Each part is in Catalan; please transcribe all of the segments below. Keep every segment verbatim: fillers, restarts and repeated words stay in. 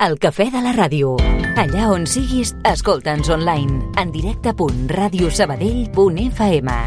El cafè de la ràdio. Allà on siguis, escolta'ns online. En directe punt ràdio sabadell punt f m.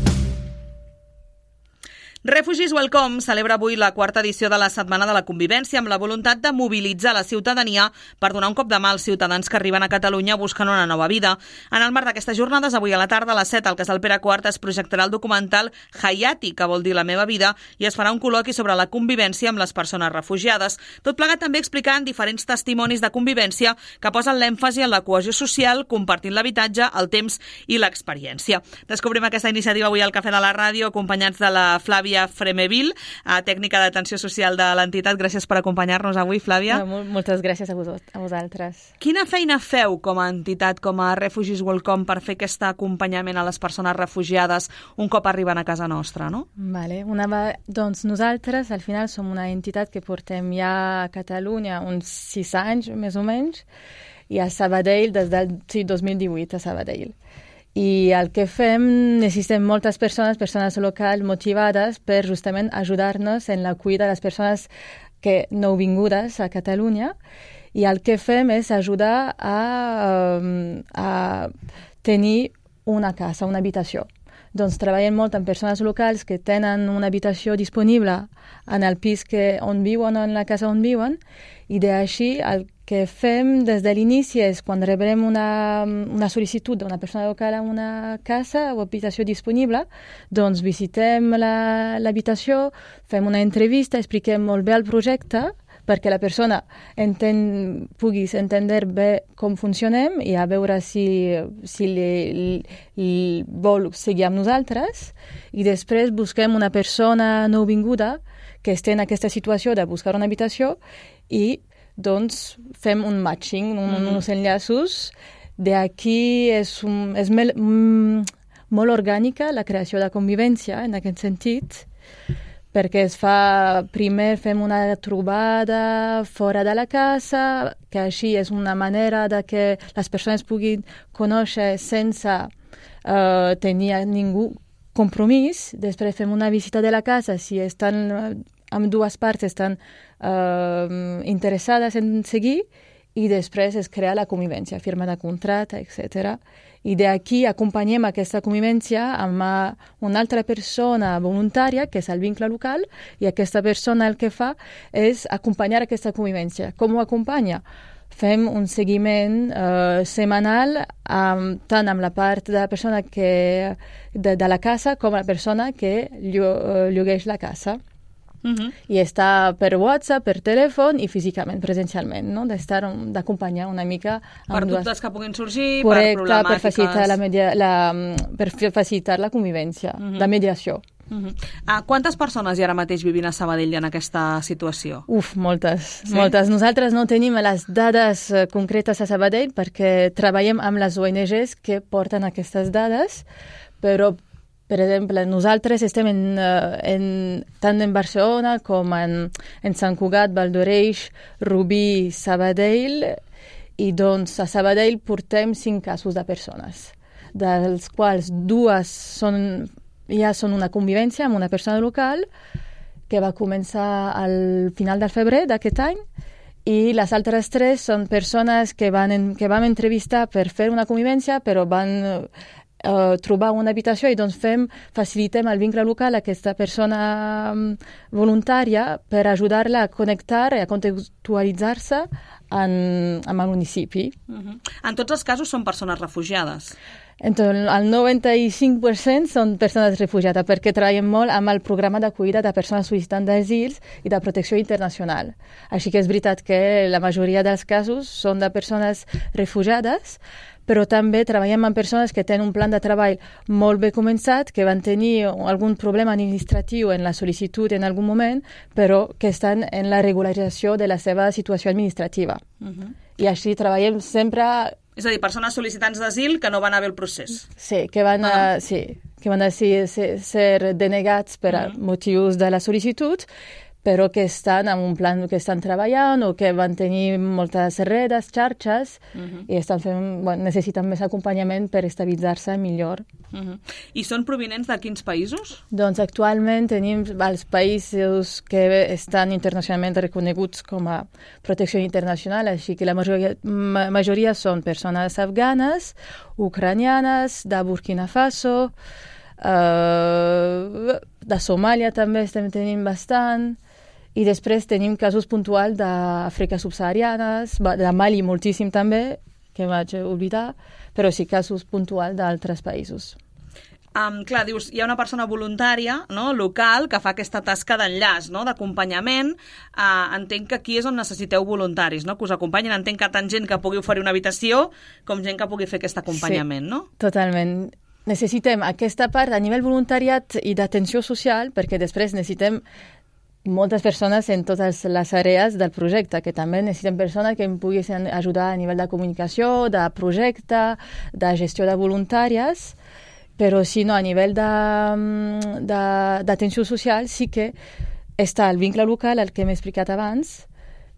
Refugees Welcome celebra avui la quarta edició de la Setmana de la Convivència amb la voluntat de mobilitzar la ciutadania per donar un cop de mà als ciutadans que arriben a Catalunya buscant una nova vida. En el marc d'aquestes jornades, avui a la tarda a les set al Casal Pere quart es projectarà el documental Hayati, que vol dir la meva vida, i es farà un col·loqui sobre la convivència amb les persones refugiades. Tot plegat també explicant diferents testimonis de convivència que posen l'èmfasi en la cohesió social, compartint l'habitatge, el temps i l'experiència. Descobrim aquesta iniciativa avui al Cafè de la Ràdio, acompanyats de la Flàvia Fremeville, tècnica d'atenció social de l'entitat. Gràcies per acompanyar-nos avui, Flàvia. No, moltes gràcies a, vos, a vosaltres. Quina feina feu com a entitat, com a Refugees Welcome, per fer aquest acompanyament a les persones refugiades un cop arriben a casa nostra, no? Vale. Una, doncs nosaltres, al final, som una entitat que portem ja a Catalunya uns sis anys, més o menys, i a Sabadell des del sí, dos mil divuit a Sabadell. I el que fem, necessitem moltes persones, persones locals motivades per justament ajudar-nos en la cuida de les persones que nouvingudes a Catalunya. I el que fem és ajudar a, a tenir una casa, una habitació. Doncs treballem molt amb persones locals que tenen una habitació disponible en el pis que, on viuen o en la casa on viuen, i d'així el que fem des de l'inici és quan rebrem una, una sol·licitud d'una persona local a una casa o habitació disponible, doncs visitem la, l'habitació, fem una entrevista, expliquem molt bé el projecte perquè la persona enten, pugui entendre bé com funcionem i a veure si, si li, li vol seguir amb nosaltres, i després busquem una persona nouvinguda que esté en aquesta situació de buscar una habitació i doncs fem un matching, un, mm. uns enllaços. D'aquí és, un, és mel, mm, molt orgànica la creació de convivència en aquest sentit, perquè es fa, primer fem una trobada fora de la casa, que així és una manera de que les persones puguin conèixer sense uh, tenir ningú compromís. Després fem una visita de la casa, si estan, amb dues parts estan uh, interessades en seguir, i després es crea la convivència, firma de contracte, etcètera. I d'aquí acompanyem aquesta convivència amb una altra persona voluntària, que és el vincle local, i aquesta persona el que fa és acompanyar aquesta convivència. Com ho acompanya? Fem un seguiment uh, setmanal um, tant amb la part de la persona que, de, de la casa com la persona que llogueix la casa. Uh-huh. I està per WhatsApp, per telèfon i físicament, presencialment, no? D'estar, d'acompanyar una mica... Per dubtes dues... que puguin sorgir, correcte, per problemàtiques... Per facilitar la, media, la, per facilitar la convivència, uh-huh. la mediació. Uh-huh. Uh, quantes persones hi ara mateix vivint a Sabadell en aquesta situació? Uf, moltes, sí? moltes. Nosaltres no tenim les dades concretes a Sabadell perquè treballem amb les O N Ges que porten aquestes dades, però... Per exemple, nosaltres estem en, en, tant en Barcelona com en, en Sant Cugat, Val d'Oreix, Rubí, Sabadell, i doncs a Sabadell portem cinc casos de persones, dels quals dues són, ja són una convivència amb una persona local que va començar al final del febrer d'aquest any, i les altres tres són persones que, van en, que vam entrevistar per fer una convivència, però van... Uh, trobar una habitació i doncs fem, facilitem el vincle local a aquesta persona um, voluntària per ajudar-la a connectar i a contextualitzar-se en, en el municipi. Uh-huh. En tots els casos són persones refugiades? Entonces, el noranta-cinc per cent són persones refugiades perquè treballem molt amb el programa d'acollida de persones sol·licitants d'asil i de protecció internacional. Així que és veritat que la majoria dels casos són de persones refugiades, però també treballem amb persones que tenen un plan de treball molt bé començat, que van tenir algun problema administratiu en la sol·licitud en algun moment, però que estan en la regularització de la seva situació administrativa. Uh-huh. I així treballem sempre... És a dir, persones sol·licitants d'asil que no van haver el procés. Sí, que van a, ah. sí, que van a ser, ser denegats per uh-huh. motius de la sol·licitud, però que estan en un plan que estan treballant o que van tenir moltes redes, xarxes, uh-huh. i estan fent, bueno, necessiten més acompanyament per estabilitzar-se millor. Uh-huh. I són provinents de quins països? Doncs actualment tenim els països que estan internacionalment reconeguts com a protecció internacional, així que la majoria, ma, majoria són persones afganes, ucranianes, de Burkina Faso, uh, de Somàlia també estem tenint bastant, i després tenim casos puntuals d'Àfrica subsahariana, de Mali moltíssim també, que vaig oblidar, però sí casos puntuals d'altres països. Um, clar, dius, hi ha una persona voluntària, no?, local, que fa aquesta tasca d'enllaç, no?, d'acompanyament. Uh, entenc que aquí és on necessiteu voluntaris, no?, que us acompanyin. Entenc que tant gent que pugui oferir una habitació com gent que pugui fer aquest acompanyament, sí, no? Totalment. Necessitem aquesta part a nivell voluntariat i d'atenció social, perquè després necessitem moltes persones en totes les àrees del projecte, que també necessitem persones que em puguin ajudar a nivell de comunicació, de projecte, de gestió de voluntàries, però si no, a nivell d'atenció social sí que està el vincle local, el que hem explicat abans,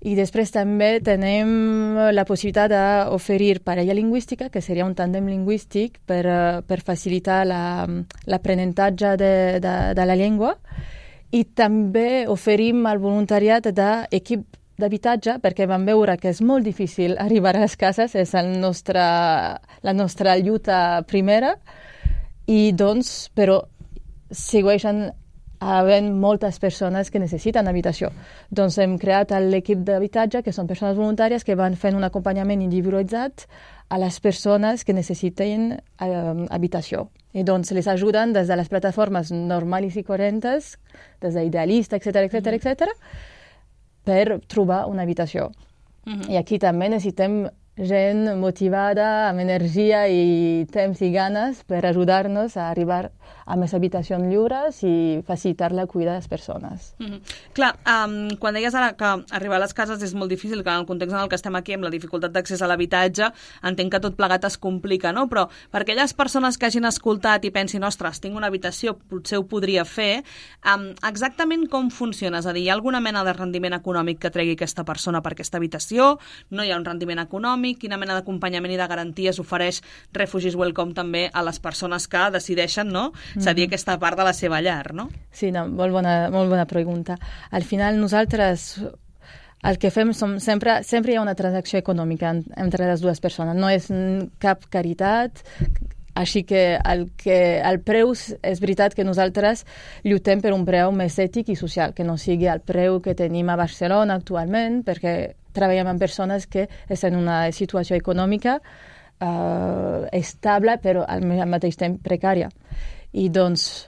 i després també tenim la possibilitat d'oferir parella lingüística, que seria un tàndem lingüístic per, per facilitar l'aprenentatge de, de, de la llengua, i també oferim el voluntariat d'equip d'habitatge, perquè vam veure que és molt difícil arribar a les cases, és el nostre, la nostra lluita primera, i doncs, però segueixen havent moltes persones que necessiten habitació. Doncs hem creat l'equip d'habitatge, que són persones voluntàries que van fent un acompanyament individualitzat a les persones que necessiten eh, habitació. I doncs les ajuden des de les plataformes normals i corrents, des d'Idealista, etcètera, etcètera, etcètera, per trobar una habitació. Uh-huh. I aquí també necessitem gent motivada, amb energia i temps i ganes per ajudar-nos a arribar a més habitacions lliures i facilitar la cuida de les persones. Mm-hmm. Clar, um, quan deies ara que arribar a les cases és molt difícil, que en el context en el que estem aquí, amb la dificultat d'accés a l'habitatge, entenc que tot plegat es complica, no? Però per aquelles persones que hagin escoltat i pensin, ostres, tinc una habitació, potser ho podria fer, um, exactament com funciona? És a dir, hi ha alguna mena de rendiment econòmic que tregui aquesta persona per aquesta habitació? No hi ha un rendiment econòmic? Quina mena d'acompanyament i de garanties ofereix Refugees Welcome també a les persones que decideixen, no?, cedir mm-hmm. aquesta part de la seva llar, no? Sí, no, molt bona, molt bona pregunta. Al final nosaltres el que fem som sempre, sempre hi ha una transacció econòmica entre les dues persones, no és cap caritat, així que el, que el preu és veritat que nosaltres lluitem per un preu més ètic i social, que no sigui el preu que tenim a Barcelona actualment, perquè treballem amb persones que estan en una situació econòmica uh, estable, però al, al mateix temps precària. I doncs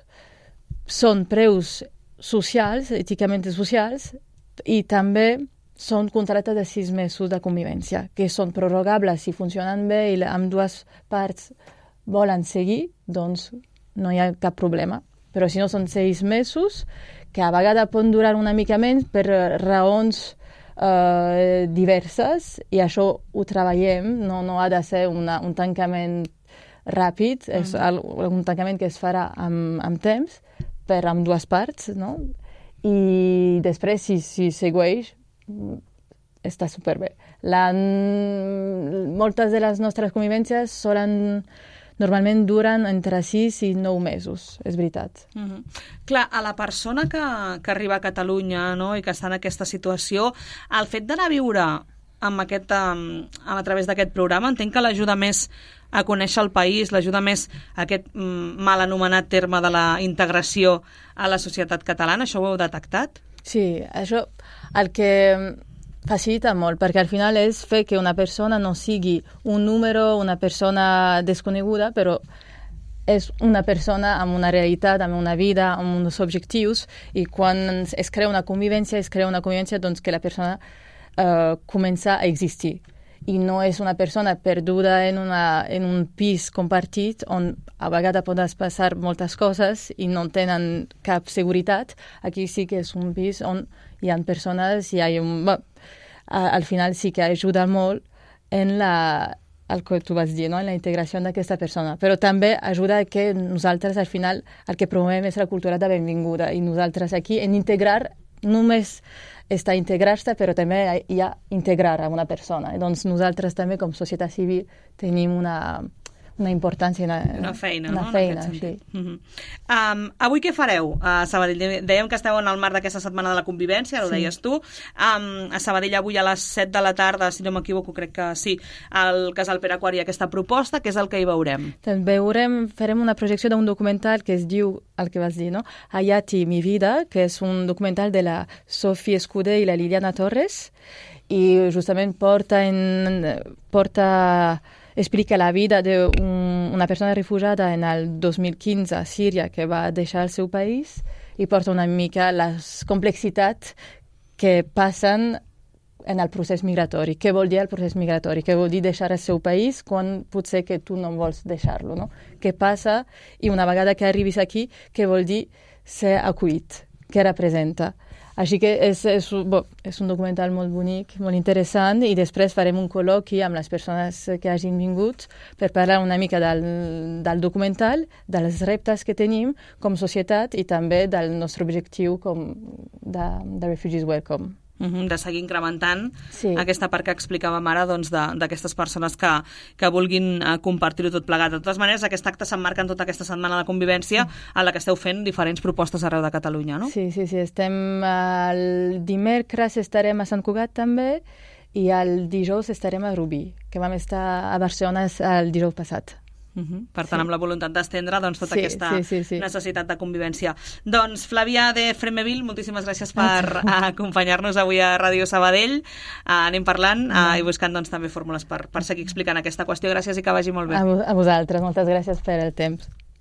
són preus socials, èticament socials, i també són contractes de sis mesos de convivència, que són prorrogables si funcionen bé i amb dues parts volen seguir, doncs no hi ha cap problema. Però si no són sis mesos, que a vegades poden durar una mica menys per raons Uh, diverses, i això ho treballem, no, no ha de ser una, un tancament ràpid, mm. és el, un tancament que es farà amb, amb temps per amb dues parts, no? I després, si, si segueix, està superbé. La, moltes de les nostres convivències solen normalment duren entre sis i nou mesos, és veritat. Mm-hmm. Clar, a la persona que, que arriba a Catalunya, no?, i que està en aquesta situació, el fet d'anar a viure amb aquest, amb, a través d'aquest programa, entenc que l'ajuda més a conèixer el país, l'ajuda més a aquest mm, mal anomenat terme de la integració a la societat catalana. Això ho heu detectat? Sí, això el que facilita molt, perquè al final és fer que una persona no sigui un número, una persona desconeguda, però és una persona amb una realitat, amb una vida, amb uns objectius, i quan es crea una convivència, es crea una convivència doncs, que la persona uh, comença a existir. I no és una persona perduda en, una, en un pis compartit on a vegades poden passar moltes coses i no tenen cap seguretat. Aquí sí que és un pis on hi ha persones, hi ha un... Bé, al final sí que ajuda molt en la, el que tu vas dir, no? En la integració d'aquesta persona. Però també ajuda que nosaltres al final el que promovem és la cultura de benvinguda, i nosaltres aquí en integrar només està integrar-se, però també hi ha integrar a una persona. I doncs nosaltres també com societat civil tenim una, una importància, una, una feina, una no? feina, sí. Uh -huh. um, avui què fareu a Sabadell? Dèiem que esteu en el marc d'aquesta setmana de la convivència, ho sí. deies tu. Um, a Sabadell avui a les set de la tarda, si no m'equivoco, crec que sí, al Casal Pere Quart hi ha aquesta proposta, que és el que hi veurem. Doncs veurem, farem una projecció d'un documental que es diu, el que vas dir, no? Hayati, mi vida, que és un documental de la Sofía Escudé i la Liliana Torres, i justament porta, en, porta explica la vida d'una persona refugiada en el dos mil quinze a Síria que va deixar el seu país i porta una mica les complexitats que passen en el procés migratori. Què vol dir el procés migratori? Què vol dir deixar el seu país quan potser que tu no vols deixar-lo, no? Què passa? I una vegada que arribis aquí, què vol dir ser acollit? Què representa? Així que és, és, bo, és un documental molt bonic, molt interessant, i després farem un col·loqui amb les persones que hagin vingut per parlar una mica del, del documental, dels reptes que tenim com societat i també del nostre objectiu com de, de Refugees Welcome. Uh-huh, de seguir incrementant sí. aquesta part que explicàvem ara doncs, d'aquestes persones que, que vulguin uh, compartir-ho tot plegat. De totes maneres, aquest acte s'emmarca en tota aquesta setmana de convivència en la que esteu fent diferents propostes arreu de Catalunya, no? Sí, sí, sí. Estem el dimecres estarem a Sant Cugat també i el dijous estarem a Rubí, que vam estar a Barcelona el dijous passat. Uh-huh. Per tant, sí. amb la voluntat d'estendre doncs, tota sí, aquesta sí, sí, sí. necessitat de convivència. Doncs, Flàvia de Fremeville, moltíssimes gràcies per acompanyar-nos avui a Ràdio Sabadell. Uh, anem parlant uh, i buscant doncs, també fórmules per, per seguir explicant aquesta qüestió. Gràcies i que vagi molt bé. A, a vosaltres, moltes gràcies per el temps.